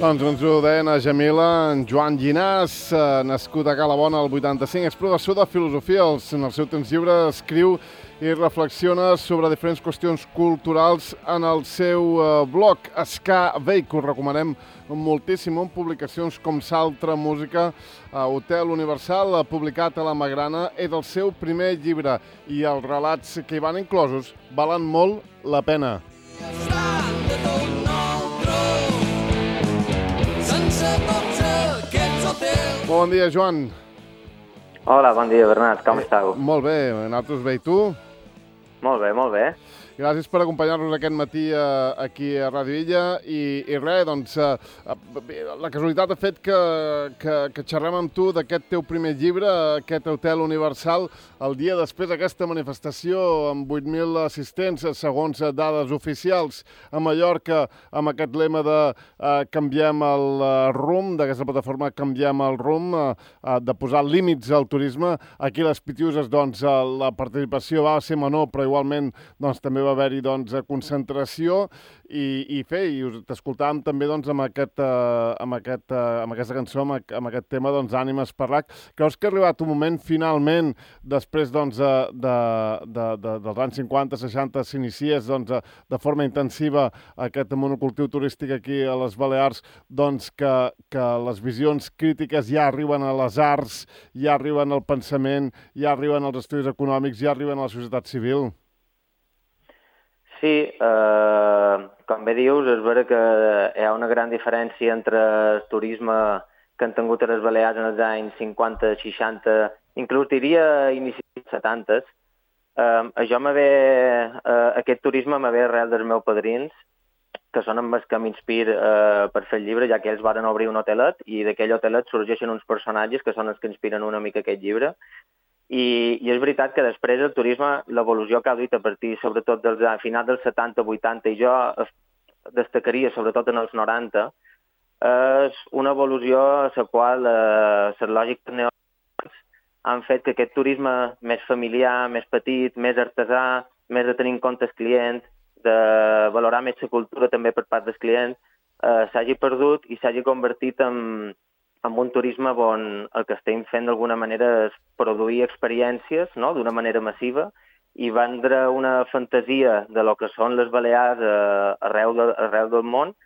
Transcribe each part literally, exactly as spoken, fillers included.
Doncs ens ho deien a Jamila, en Joan Llinàs, eh, nascut a Calabona al vuitanta-cinc, és professor de filosofia. En el seu temps lliure escriu i reflexiona sobre diferents qüestions culturals en el seu eh, blog, Ska Veik. Us recomanem moltíssim, amb publicacions com Saltra Música, a Hotel Universal, publicat a la Magrana. És el seu primer llibre i els relats que hi van inclosos valen molt la pena. Bon dia, Joan. Hola, bon dia, Bernat. Com eh, estàu? Molt bé, nosaltres bé. I tu? Molt bé, molt bé. Gràcies per acompanyar-nos aquest matí eh, aquí a Ràdio Illa i, i res, doncs, eh, la casualitat ha fet que, que, que xerrem amb tu d'aquest teu primer llibre, aquest Hotel Universal, el dia després d'aquesta manifestació amb vuit mil assistents, segons dades oficials, a Mallorca, amb aquest lema de eh, canviem el eh, rumb, d'aquesta plataforma Canviem el rumb, eh, de posar límits al turisme. Aquí a les Pitiuses, doncs, la participació va ser menor, però igualment doncs, també va haver-hi doncs, concentració i, i fer, i t'escoltàvem també doncs, amb, aquest, uh, amb, aquest, uh, amb aquesta cançó, amb, amb aquest tema doncs, Ànimes per l'H. Creus que ha arribat un moment, finalment, després doncs, de, de, de, de, dels anys cinquanta seixanta, s'iniciés doncs, de forma intensiva aquest monocultiu turístic aquí a les Balears, doncs, que, que les visions crítiques ja arriben a les arts, ja arriben al pensament, ja arriben als estudis econòmics, ja arriben a la societat civil? Sí, eh, com bé dius, és vera que hi ha una gran diferència entre el turisme que han tingut a les Balears en els anys cinquanta, seixanta, inclús diria inicis dels setanta. Eh, això m'ha eh, aquest turisme m'ha ve arrel dels meus padrins, que són amb els que m'inspir eh, per fer el llibre, ja que ells van obrir un hotelet i d'aquell hotelet sorgeixen uns personatges que són els que inspiren una mica aquest llibre. I, i és veritat que després el turisme, l'evolució que ha duit a partir, sobretot dels a finals dels setanta, vuitanta, i jo destacaria sobretot en els noranta, és una evolució a la qual eh, les lògiques neoliberals han fet que aquest turisme més familiar, més petit, més artesà, més de tenir en compte el client, de valorar més la cultura també per part del client, eh, s'hagi perdut i s'hagi convertit en amb un turisme on el que estem fent d'alguna manera és produir experiències, no?, d'una manera massiva i vendre una fantasia de lo que són les Balears eh, arreu, de, arreu del món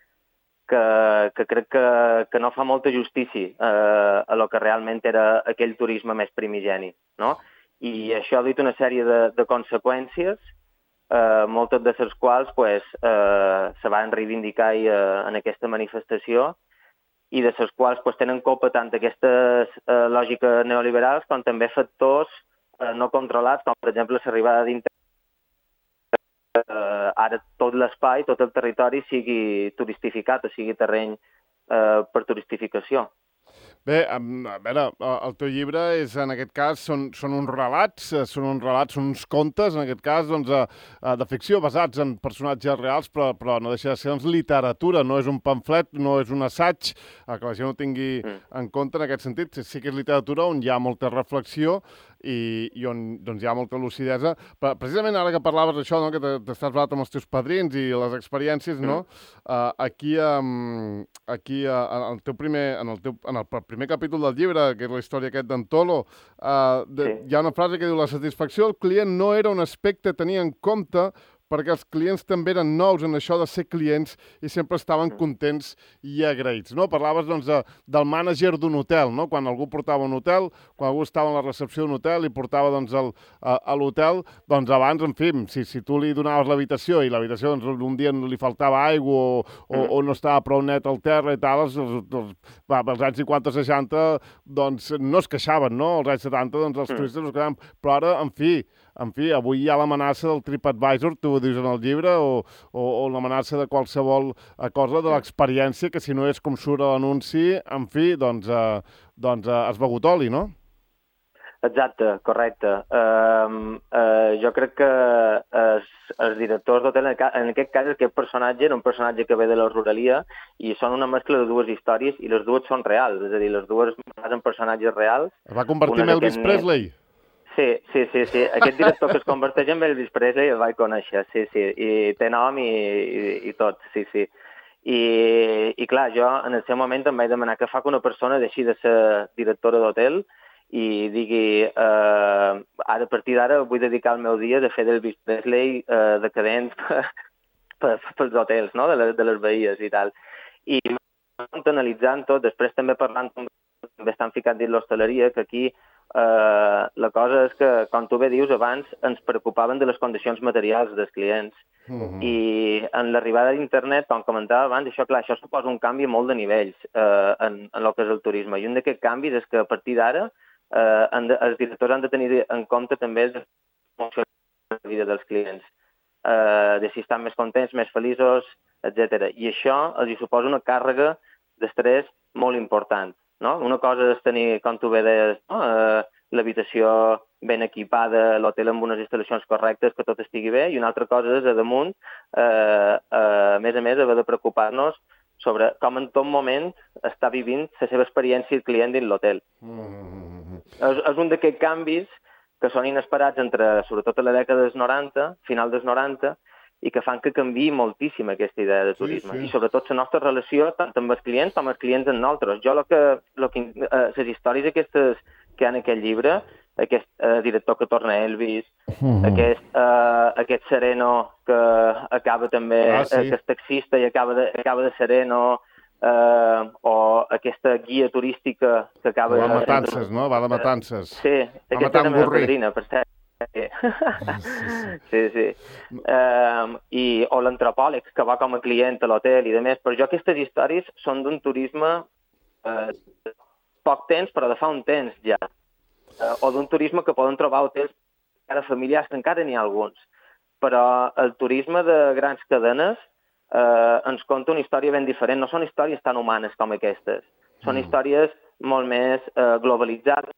que, que crec que, que no fa molta justícia eh, a lo que realment era aquell turisme més primigeni, no? I això ha dit una sèrie de, de conseqüències, eh, moltes de les quals pues, eh, se van reivindicar eh, en aquesta manifestació i de les quals pues, tenen culpa tant aquestes eh, lògiques neoliberals com també factors eh, no controlats, com per exemple l'arribada d'internet. Eh, ara tot l'espai, tot el territori sigui turistificat o sigui terreny eh, per turistificació. Bé, a veure, el teu llibre és, en aquest cas, són, són uns relats, són uns relats, són uns contes, en aquest cas, doncs, de ficció basats en personatges reals, però, però no deixa de ser doncs, literatura, no és un pamflet, no és un assaig, que la gent ho tingui mm. en compte en aquest sentit. Sí que és literatura on hi ha molta reflexió i, i on doncs, hi ha molta lucidesa. Però, precisament ara que parlaves d'això, no, que t'estàs parlat amb els teus padrins i les experiències, no? Mm. Uh, aquí, um, aquí uh, en el teu primer, en el teu, en el primer capítol del llibre, que és la història aquest d'en Tolo, uh, de, sí. hi ha una frase que diu: la satisfacció del client no era un aspecte a tenir en compte perquè els clients també eren nous en això de ser clients i sempre estaven contents i agraïts, no? Parlaves, doncs, de, del mànager d'un hotel, no? Quan algú portava un hotel, quan algú estava en la recepció d'un hotel i portava, doncs, el, a, a l'hotel, doncs, abans, en fi, si, si tu li donaves l'habitació i l'habitació, doncs, un dia li faltava aigua o, o, o no estava prou net al terra i tal, els, els, els, va, als anys cinquanta seixanta, doncs, no es queixaven, no? Als anys setanta, doncs, els turistes no es quedaven, però ara, en fi, En fi, avui hi ha l'amenaça del TripAdvisor, tu ho dius en el llibre, o, o, o l'amenaça de qualsevol cosa de l'experiència, que si no és com surt a l'anunci, en fi, doncs, eh, doncs eh, has begut oli, no? Exacte, correcte. Uh, uh, jo crec que els, els directors d'hotel, en aquest cas, aquest personatge era un personatge que ve de la ruralia i són una mescla de dues històries i les dues són reals, és a dir, les dues són personatges reals. Es va convertir en Elvis Presley? Sí, sí, sí, sí. Aquest director que es converteix en Elvis Presley el vaig conèixer, sí, sí, i té nom i, i, i tot, sí, sí. I, i clar, jo en el seu moment em vaig demanar què fa que una persona deixi de ser directora d'hotel i digui, eh, ara a partir d'ara vull dedicar el meu dia de fer d'Elvis Presley eh, decadent per, pels hotels, no?, de les, de les veïes i tal. I analitzant tot, després també parlant, també estan ficant dins l'hostaleria, que aquí eh, la cosa és que, com tu bé dius, abans ens preocupaven de les condicions materials dels clients. Uh-huh. I en l'arribada d'internet, com comentava abans, això, clar, això suposa un canvi molt de nivells eh, en, en el que és el turisme. I un d'aquests canvis és que a partir d'ara eh, de, els directors han de tenir en compte també la vida dels clients, eh, de si estan més contents, més feliços, etcètera. I això els hi suposa una càrrega d'estrès molt important, no? Una cosa és tenir, com tu bé deies, no? eh, l'habitació ben equipada, l'hotel amb unes instal·lacions correctes, que tot estigui bé, i una altra cosa és, a damunt, eh, eh, a més a més, haver de preocupar-nos sobre com en tot moment està vivint la seva experiència el client dins l'hotel. Mm-hmm. És, és un d'aquests canvis que són inesperats entre, sobretot a la dècada dels noranta, final dels noranta, i que fan que canviï moltíssim aquesta idea de turisme. Sí, sí. I sobretot la nostra relació tant amb els clients com els clients amb nosaltres. Jo, lo que, lo que, eh, les històries aquestes que hi ha en aquest llibre, aquest eh, director que torna a Elvis, uh-huh. aquest, eh, aquest sereno que acaba també, ah, sí. eh, que és taxista i acaba de, acaba de sereno, eh, o aquesta guia turística que acaba... Va de matances, no? Va de matances. Sí, aquesta és la meva padrina, per cert. Sí, sí. sí. Um, i, o l'antropòleg que va com a client a l'hotel i demés. Però jo aquestes històries són d'un turisme eh, poc temps, però de fa un temps ja. Eh, o d'un turisme que poden trobar hotels encara familiars, que encara n'hi ha alguns. Però el turisme de grans cadenes eh, ens conta una història ben diferent. No són històries tan humanes com aquestes. Són mm. històries molt més eh, globalitzades.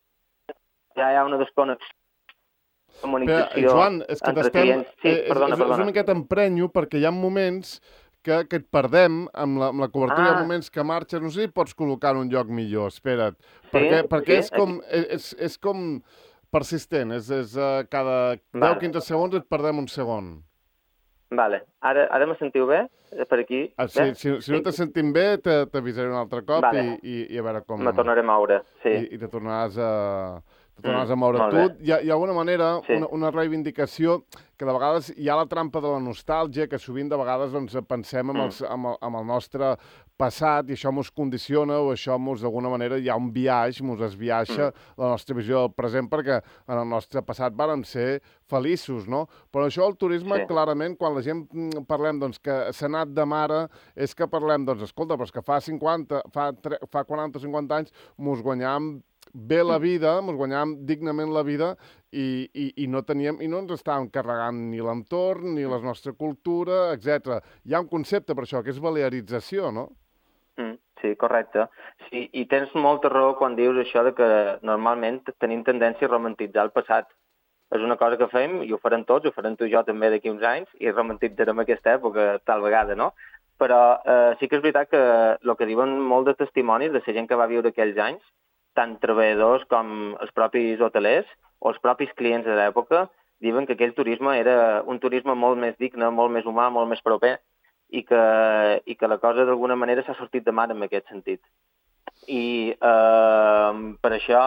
Ja hi ha una desconnexió. Però, Joan, és que t'estem... Sí, perdona, és, és, és una miqueta emprenyo perquè hi ha moments que, que et perdem amb la, amb la cobertura, ah. hi ha moments que marxes, no sé si pots col·locar en un lloc millor, espera't. Sí, perquè perquè sí, és, com, és, és com persistent, és, és uh, cada vale. deu quinze segons et perdem un segon. Vale. Ara, ara me sentiu bé? Per aquí? Ah, sí, si, si no te sentim bé, t'avisaré un altre cop vale. i, i, i a veure com... Me tornaré a moure, sí. I, i te tornaràs a... te tornaràs a moure. Mm, tu, hi ha, hi ha alguna manera, sí. una, una reivindicació que de vegades hi ha la trampa de la nostàlgia, que sovint de vegades doncs, pensem amb, els, amb, el, amb el nostre passat i això mos condiciona o això mos d'alguna manera hi ha un viatge, mos es viatja mm. la nostra visió del present perquè en el nostre passat vàrem ser feliços, no? Però això el turisme, sí. clarament, quan la gent parlem doncs, que s'ha anat de mare, és que parlem, doncs, escolta, però és que fa cinquanta, fa, fa quaranta o cinquanta anys mos guanyàvem bé la vida, ens guanyàvem dignament la vida i, i, i no teníem i no ens estàvem carregant ni l'entorn, ni la nostra cultura, etcètera. Hi ha un concepte per això, que és balearització, no? Mm, sí, correcte. Sí, i tens molta raó quan dius això de que normalment tenim tendència a romantitzar el passat. És una cosa que fem, i ho farem tots, ho farem tu i jo també d'aquí uns anys, i romantitzarem aquesta època tal vegada, no? Però eh, sí que és veritat que el que diuen molt de testimonis de la gent que va viure aquells anys, tant treballadors com els propis hotelers o els propis clients de l'època, diuen que aquell turisme era un turisme molt més digne, molt més humà, molt més proper, i que, i que la cosa d'alguna manera s'ha sortit de mar en aquest sentit. I eh, per això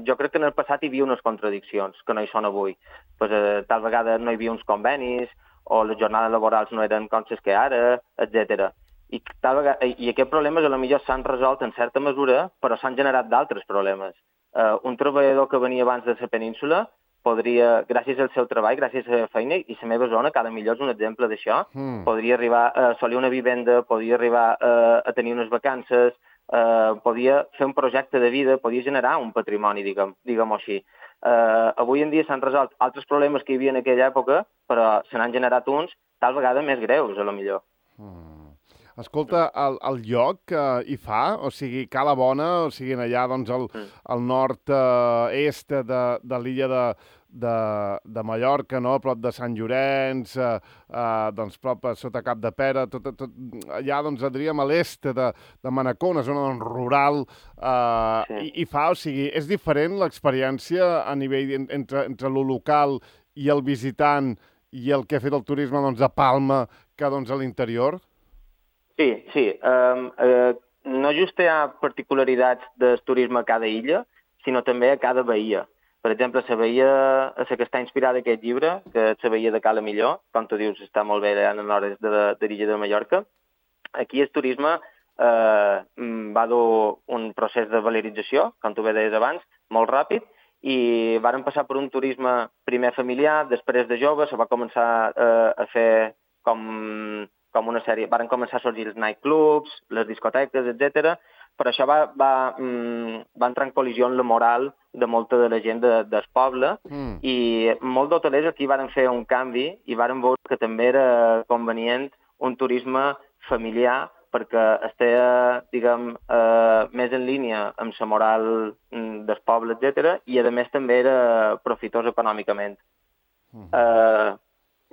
jo crec que en el passat hi havia unes contradiccions que no hi són avui. Pues, eh, tal vegada no hi havia uns convenis, o les jornades laborals no eren com les que ara, etcètera. I, tal vegada, i aquests problemes potser s'han resolt en certa mesura, però s'han generat d'altres problemes. Uh, un treballador que venia abans de la península podria, gràcies al seu treball, gràcies a la seva feina, i la meva zona, que ara millor és un exemple d'això, mm. podria arribar a assolir una vivenda, podria arribar uh, a tenir unes vacances, uh, podia fer un projecte de vida, podia generar un patrimoni, diguem, diguem-ho així. Uh, avui en dia s'han resolt altres problemes que hi havia en aquella època, però se n'han generat uns tal vegada més greus, a lo millor. Mm. Escolta, el, el lloc eh, hi fa? O sigui, Cala Bona, o sigui, allà doncs, al, al nord-est eh, de, de l'illa de, de, de Mallorca, no? A prop de Sant Llorenç, eh, eh, doncs, prop sota Cap de Pera, tot, tot, allà, doncs, diríem, a l'est de, de Manacor, una zona doncs, rural, eh, sí. i, i fa, o sigui, és diferent l'experiència a nivell entre, entre lo local i el visitant i el que ha fet el turisme doncs, a Palma que doncs, a l'interior? Sí, sí. Um, uh, no just hi ha particularitats del turisme a cada illa, sinó també a cada bahia. Per exemple, la bahia a la que està inspirada aquest llibre, que és la bahia de Cala Millor, com tu dius, està molt bé allà en l'hora de, de l'illa de Mallorca. Aquí el turisme eh, va dur un procés de valorització, com tu bé deies abans, molt ràpid, i varen passar per un turisme primer familiar, després de jove, se va començar eh, a fer com, com una sèrie, varen començar a sorgir els nightclubs, les discoteques, etcètera, però això va, va, mm, va entrar en col·lisió amb la moral de molta de la gent de, del poble mm. i molts d'hotelers aquí varen fer un canvi i varen veure que també era convenient un turisme familiar perquè estigui, diguem, eh, més en línia amb la moral del poble, etcètera, i a més també era profitós econòmicament. Mm. Eh,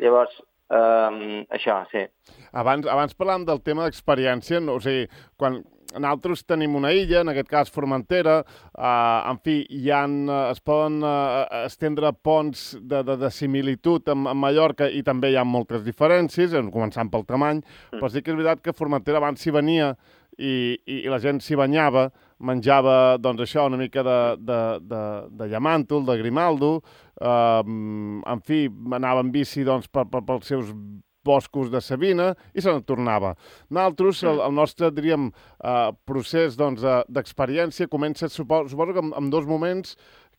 llavors, eh, això, sí. Abans, abans parlàvem del tema d'experiència, no? O sigui, quan nosaltres tenim una illa, en aquest cas Formentera, eh, en fi, hi ha, es poden eh, estendre ponts de, de, de similitud amb, amb Mallorca i també hi ha moltes diferències, començant pel tamany, mm. però sí que és veritat que Formentera abans s'hi venia i, i, i la gent s'hi banyava, menjava, doncs això, una mica de, de, de, de llamàntol, de grimaldo, eh, en fi, anava en bici doncs, per, per, pels seus boscos de Sabina i se n'en tornava. Nosaltres, el, el nostre, diríem, eh, procés doncs, d'experiència comença, suposo, suposo que amb, amb dos moments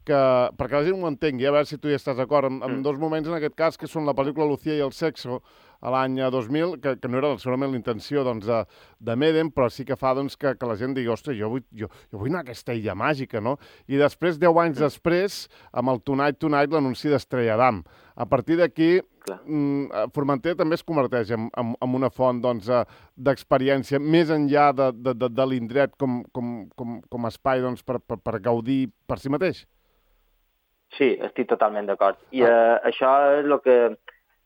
que, perquè la gent ho entengui, a veure si tu hi estàs d'acord, amb, amb dos moments, en aquest cas, que són la pel·lícula Lucía i el sexo, a l'any dos mil, que, que no era segurament la intenció doncs, de, de Medem, però sí que fa doncs, que, que la gent digui, ostres, jo vull, jo, jo vull anar a aquesta illa màgica, no? I després, deu anys després, amb el Tonight Tonight, l'anunci d'Estrella d'Am. A partir d'aquí, mm, Formentera també es converteix en, en, en una font doncs, d'experiència més enllà de, de, de, de l'indret com, com, com, com a espai doncs, per, per, per gaudir per si mateix. Sí, estic totalment d'acord. I ah. eh, això és el que...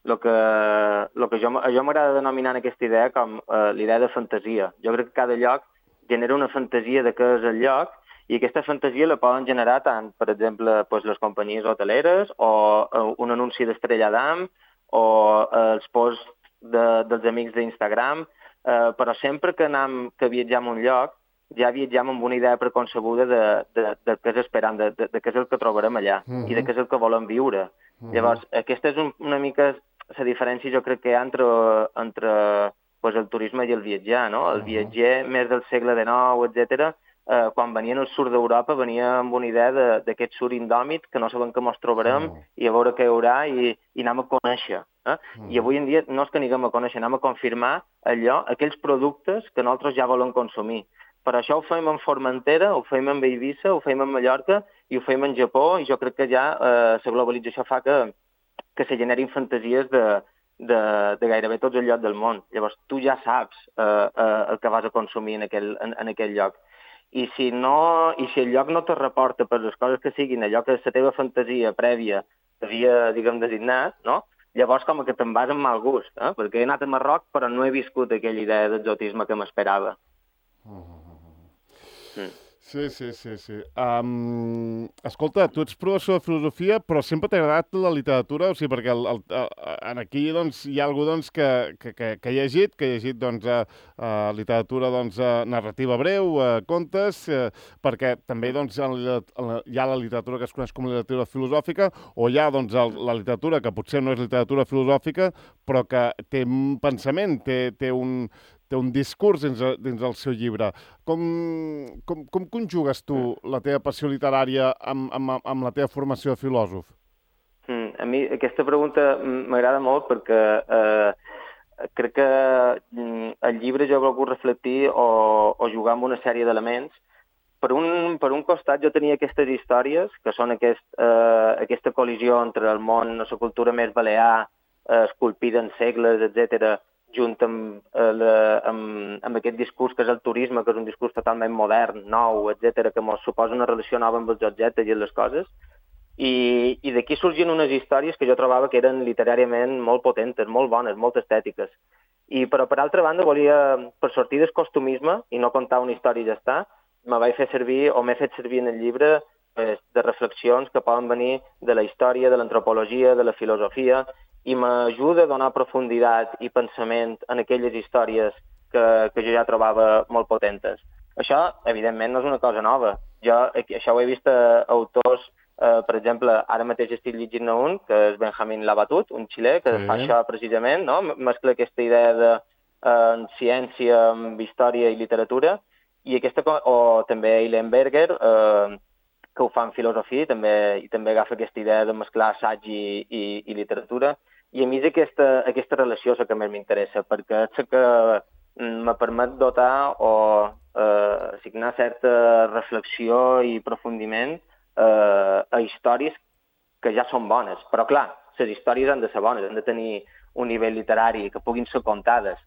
El que, el que jo, jo m'agrada denominar en aquesta idea com uh, l'idea de fantasia. Jo crec que cada lloc genera una fantasia de què és el lloc i aquesta fantasia la poden generar tant, per exemple, pues, les companyies hoteleres o uh, un anunci d'Estrella d'Am o uh, els posts de, dels amics d'Instagram, uh, però sempre que, anem, que viatgem a un lloc ja viatgem amb una idea preconcebuda de, de, de què és esperant, de, de, de què és el que trobarem allà uh-huh. i de què és el que volem viure. Uh-huh. Llavors, aquesta és un, una mica la diferència, jo crec que hi ha entre, entre pues, el turisme i el viatjar, no? El viatger més del segle dinou, etcètera, eh, quan venien al sud d'Europa venia amb una idea d'aquest sud indòmit que no sabem què ens trobarem uh-huh. i a veure què hi haurà i, i anem a conèixer. Eh? Uh-huh. I avui en dia no és que anem a conèixer, anem a confirmar allò, aquells productes que nosaltres ja volem consumir. Per això ho fem en Formentera, ho fem en Eivissa, ho fem en Mallorca i ho fem en Japó i jo crec que ja eh, la globalització fa que, que se generin fantasies de, de, de gairebé tots els llocs del món. Llavors tu ja saps eh, eh, el que vas a consumir en aquell, en, en aquell lloc. I si, no, I si el lloc no te reporta per les coses que siguin, allò que la teva fantasia prèvia t'havia, diguem, designat, no? Llavors com que te'n vas amb mal gust, eh? Perquè he anat a Marroc però no he viscut aquella idea d'exotisme que m'esperava. Mm. Sí, sí, sí, sí. Um, escolta, tu ets professor de filosofia, però sempre t'ha agradat la literatura? O sigui, perquè el, el, el, aquí doncs, hi ha algú doncs, que, que, que, que ha llegit, que ha llegit doncs, uh, uh, literatura doncs, uh, narrativa breu, uh, contes, uh, perquè també doncs, hi ha la literatura que es coneix com a literatura filosòfica, o hi ha doncs, el, la literatura que potser no és literatura filosòfica, però que té un pensament, té, té un... té un discurs dins, dins del seu llibre. Com, com, com conjugues tu la teva passió literària amb, amb, amb la teva formació de filòsof? Mm, a mi aquesta pregunta m'agrada molt perquè eh, crec que el llibre jo he volgut reflectir o, o jugar amb una sèrie d'elements. Per un, per un costat jo tenia aquestes històries, que són aquest, eh, aquesta col·lisió entre el món, la cultura més balear, eh, esculpida en segles, etcètera, junt amb, eh, la, amb, amb aquest discurs que és el turisme, que és un discurs totalment modern, nou, etcètera, que ens suposa una relació nova amb els objectes i les coses. I, i d'aquí sorgien unes històries que jo trobava que eren literàriament molt potentes, molt bones, molt estètiques. I, però, per altra banda, volia, per sortir del costumisme i no contar una història i ja està, me vaig fer servir, o m'he fet servir en el llibre, pues, de reflexions que poden venir de la història, de l'antropologia, de la filosofia, i m'ajuda a donar profunditat i pensament en aquelles històries que, que jo ja trobava molt potentes. Això, evidentment, no és una cosa nova. Jo això ho he vist a autors, eh, per exemple, ara mateix estic llegint un, que és Benjamin Labatut, un xilè, que sí. fa això precisament, no? Mescla aquesta idea de eh, ciència amb història i literatura, i aquesta, o també Eileen Berger, eh, que ho fa en filosofia, i també, i també agafa aquesta idea de mesclar assaig i, i, i literatura, i a mi és aquesta, aquesta relació la que més m'interessa, perquè és la que me permet dotar o eh, assignar certa reflexió i aprofundiment eh, a històries que ja són bones. Però, clar, les històries han de ser bones, han de tenir un nivell literari, que puguin ser contades,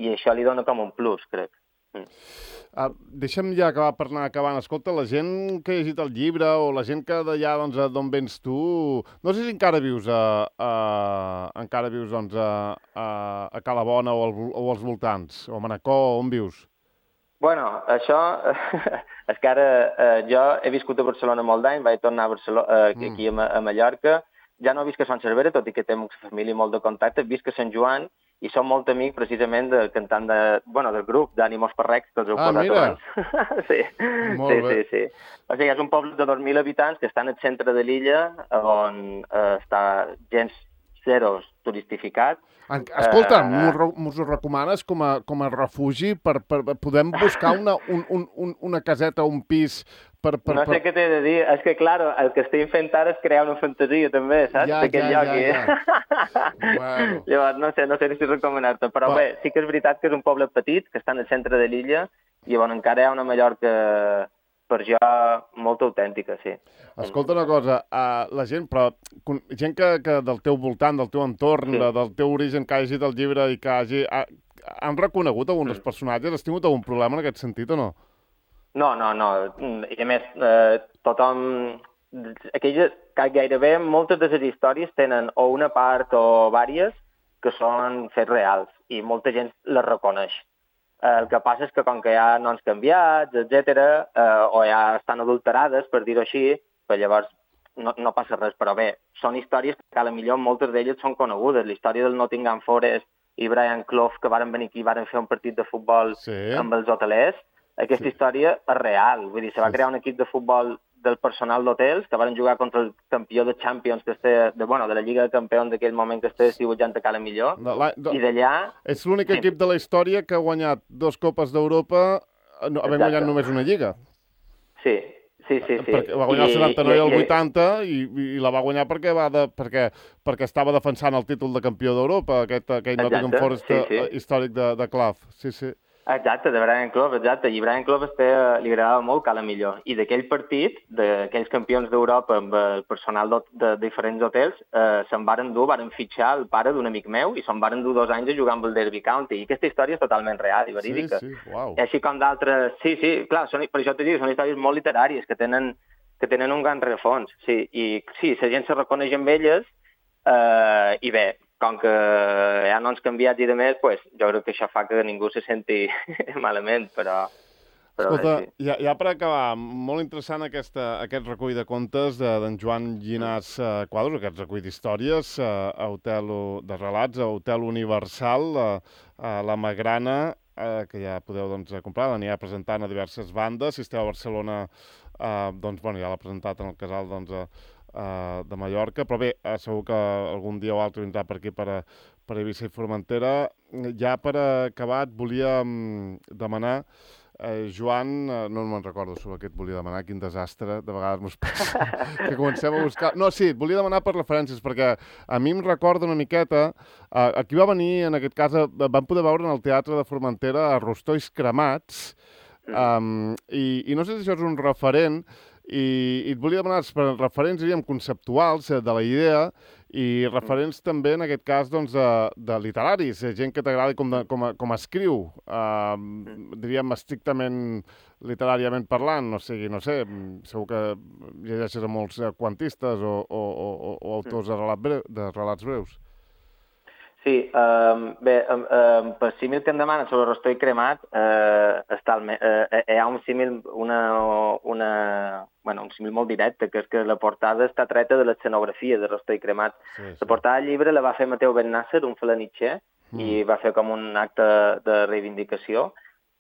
i això li dona com un plus, crec. Mm. Uh, deixa'm ja acabar per anar acabant. Escolta, la gent que ha llegit el llibre o la gent que d'allà doncs, d'on vens tu, no sé si encara vius a, a, encara vius doncs, a, a, a Calabona o, al, o als voltants, o a Manacor, on vius? Bueno, això és que ara eh, jo he viscut a Barcelona molt d'any, vaig tornar a Barcelona, eh, mm. aquí a, a Mallorca, ja no visc a Sant Cervera, tot i que tinc família molt de contacte, visc a Sant Joan, i som molt amics precisament de cantant de, bueno, del grup d'Ànimos Perrecs, que els heu ah, posat mira. abans. sí, molt sí, bé. sí, sí. O sigui, és un poble de dos mil habitants que està en el centre de l'illa, on eh, està gens zero turistificat. Escolta, uh, m'ho recomanes com a, com a refugi per, per podem buscar una, un, un, una caseta o un pis per... per no sé per... què t'he de dir, és que, clar, el que estic fent ara és crear una fantasia, també, saps? Ja, ja, lloc, ja, ja. Bueno. Llavors, no sé, no sé si recomanar-te, però Va. bé, sí que és veritat que és un poble petit, que està en el centre de l'illa, i llavors encara hi ha una Mallorca, per jo, molt autèntica, sí. Escolta una cosa, uh, la gent, però gent que, que del teu voltant, del teu entorn, sí. de, del teu origen, que hagi llegit el llibre i que hagi... Ha, han reconegut alguns dels personatges? Has tingut algun problema en aquest sentit o no? No, no, no. I a més, eh, tothom... Aquelles, gairebé moltes de les històries tenen o una part o vàries que són fets reals i molta gent les reconeix. El que passa és que com que hi ha noms canviats, etcètera, eh, o ja estan adulterades, per dir-ho així, pues llavors no, no passa res. Però bé, són històries que a la millor moltes d'elles són conegudes. La història del Nottingham Forest i Brian Clough, que varen venir aquí i varen fer un partit de futbol sí. amb els hotelers, aquesta sí. història és real. Vull dir, se va crear un equip de futbol del personal d'hotels que van jugar contra el campió de Champions que este, de, bueno, de la Lliga de Campions d'aquell moment que estava estiuejant a Cala Millor. No, la, no, I d'allà... És l'únic sí. equip de la història que ha guanyat dos Copes d'Europa no, havent guanyat només una Lliga. Sí, sí, sí. sí. Perquè va guanyar I, el setanta-nou i, i el vuitanta i, i la va guanyar perquè, va de, perquè, perquè estava defensant el títol de campió d'Europa, aquest, aquell Nottingham Forest sí, sí. històric de, de Clough. Sí, sí. Exacte, de Brian Clough, exacte. I Brian Clough este, li agradava molt Cala Millor. I d'aquell partit, d'aquells campions d'Europa amb el personal de, de diferents hotels, eh, se'n varen dur, varen fitxar el pare d'un amic meu i se'n varen dur dos anys a jugar amb el Derby County. I aquesta història és totalment real i verídica. Sí, sí, uau. I així com d'altres... Sí, sí, clar, són, per això t'he dit, són històries molt literàries que tenen, que tenen un gran rerefons. Sí, i sí, la gent se reconeix amb elles eh, i bé, com que hi ha noms canviats i de més, pues, jo crec que això fa que ningú se senti malament, però... però Escolta, sí. ja, ja per acabar, molt interessant aquesta, aquest recull de contes d'en Joan Llinàs uh, Quadros, aquest recull d'històries, uh, a Hotel de relats, a Hotel Universal, uh, a la Magrana, uh, que ja podeu doncs, comprar, l'anirà presentant a diverses bandes. Si esteu a Barcelona, uh, doncs, bueno, ja l'ha presentat en el casal doncs, a Uh, de Mallorca, però bé, uh, segur que algun dia o altre vindrà per aquí, per, per Eivissa i Formentera. Ja per acabar, et volia um, demanar, uh, Joan, uh, no me'n recordo sobre què et volia demanar, quin desastre, de vegades mos passa, que comencem a buscar... No, sí, et volia demanar per referències, perquè a mi em recorda una miqueta, uh, aquí va venir, en aquest cas, uh, vam poder veure en el Teatre de Formentera a Rostolls Cremats, um, i, i no sé si això és un referent, I, i et volia demanar per referents, diríem, conceptuals de la idea i referents també, en aquest cas, doncs, de, de literaris, gent que t'agradi com, de, com, a, com a escriu, uh, diríem, estrictament literàriament parlant, no sigui, no sé, segur que llegeixes a molts quantistes o, o, o, o autors de, relat breu, de relats breus. Sí, um, bé, um, um, per símil que em demanen sobre Rostoll cremat, uh, està el, uh, hi ha un símil, una, una, bueno, un símil molt directe, que és que la portada està treta de l'escenografia de Rostoll cremat. Sí, sí. La portada del llibre la va fer Mateu Bennàsser, un felanitxer, mm. i va fer com un acte de reivindicació,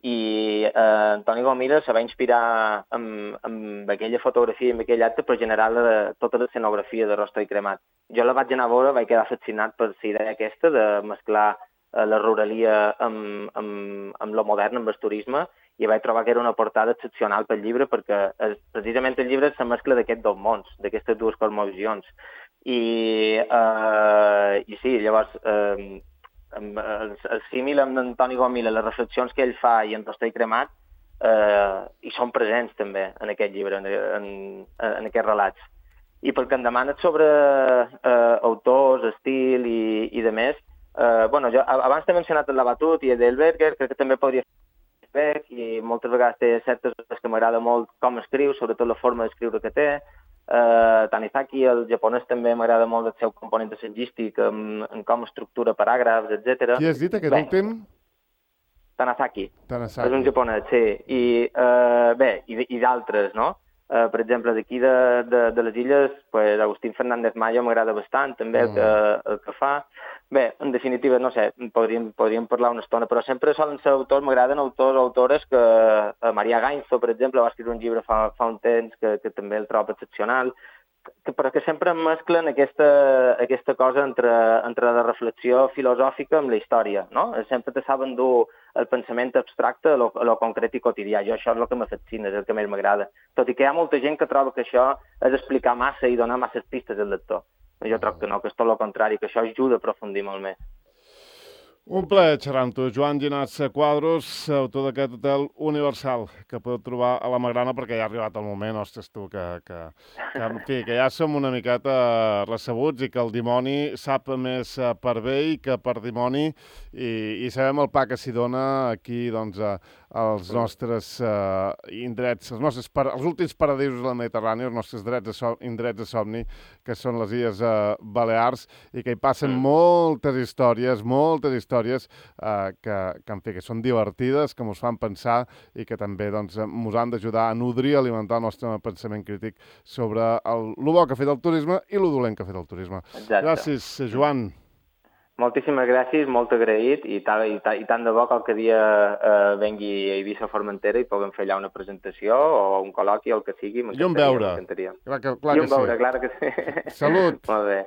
i eh, Antoni Gomila se va inspirar amb, amb aquella fotografia i amb aquell acte per generar la, tota l'escenografia de Rostoi Cremat. Jo la vaig anar a veure, vaig quedar fascinat per la idea aquesta de mesclar eh, la ruralia amb, amb, amb lo modern, amb el turisme, i vaig trobar que era una portada excepcional pel llibre perquè és, precisament el llibre és la mescla d'aquests dos mons, d'aquestes dues cosmovisions. I, eh, i sí, llavors... Eh, el, el símil amb Antoni Gomila, les reflexions que ell fa i en Rostoi Cremat, eh, hi són presents també en aquest llibre, en, en, en aquests relats. I pel que em demanes sobre eh, autors, estil i, i de més, eh, bueno, jo abans t'he mencionat el Labatut i Edelberger, crec que també podria fer i moltes vegades té certes coses que m'agrada molt com escriu, sobretot la forma d'escriure que té. Uh, Tanizaki, el japonès, també m'agrada molt el seu component assagístic, en, en com estructura paràgrafs, etcètera. Qui has dit aquest bé, últim? Tanizaki. Tanizaki. És un japonès, sí. I, uh, bé, i, i d'altres, no? Uh, per exemple, d'aquí de, de, de les illes, pues, Agustín Fernández Mayo m'agrada bastant, també, mm. el, que, el que fa. Bé, en definitiva, no sé, podríem, podríem parlar una estona, però sempre solen ser autors, m'agraden autors o autores que... Uh, Maria Gainzo, per exemple, va escriure un llibre fa, fa un temps que, que també el trobo excepcional, que, però que sempre mesclen aquesta, aquesta cosa entre, entre la reflexió filosòfica amb la història, no? Sempre te saben dur el pensament abstracte a lo, a lo concret i quotidià. Jo això és el que me fascina, és el que més m'agrada. Tot i que hi ha molta gent que troba que això és explicar massa i donar masses pistes al lector. Jo trobo que no, que és tot el contrari, que això ajuda a aprofundir molt més. Un plaer xerrar amb tu, Joan Llinàs Quadros, autor d'aquest Hotel Universal, que podeu trobar a la Magrana, perquè ja ha arribat el moment, ostres, tu, que, que, que, en fi, que ja som una miqueta recebuts i que el dimoni sap més per vell que per dimoni i, i sabem el pa que s'hi dona aquí, doncs, a, als nostres uh, indrets, els, nostres par els últims paradisos de la Mediterrània, els nostres drets de so indrets de somni, que són les Illes uh, Balears, i que hi passen mm. moltes històries, moltes històries uh, que, que, en fi, que són divertides, que ens fan pensar i que també doncs, ens han d'ajudar a nodrir, a alimentar el nostre pensament crític sobre el, el bo que ha fet el turisme i el dolent que ha fet el turisme. Exacte. Gràcies, Joan. Moltíssimes gràcies, molt agraït, i, ta, i, ta, i tant de bo qualque dia eh, vengui a Eivissa Formentera i puguem fer allà una presentació o un col·loqui o el que sigui. I un veure. Clar que, clar I un que veure, sí. clar que sí. Salut. Molt bé.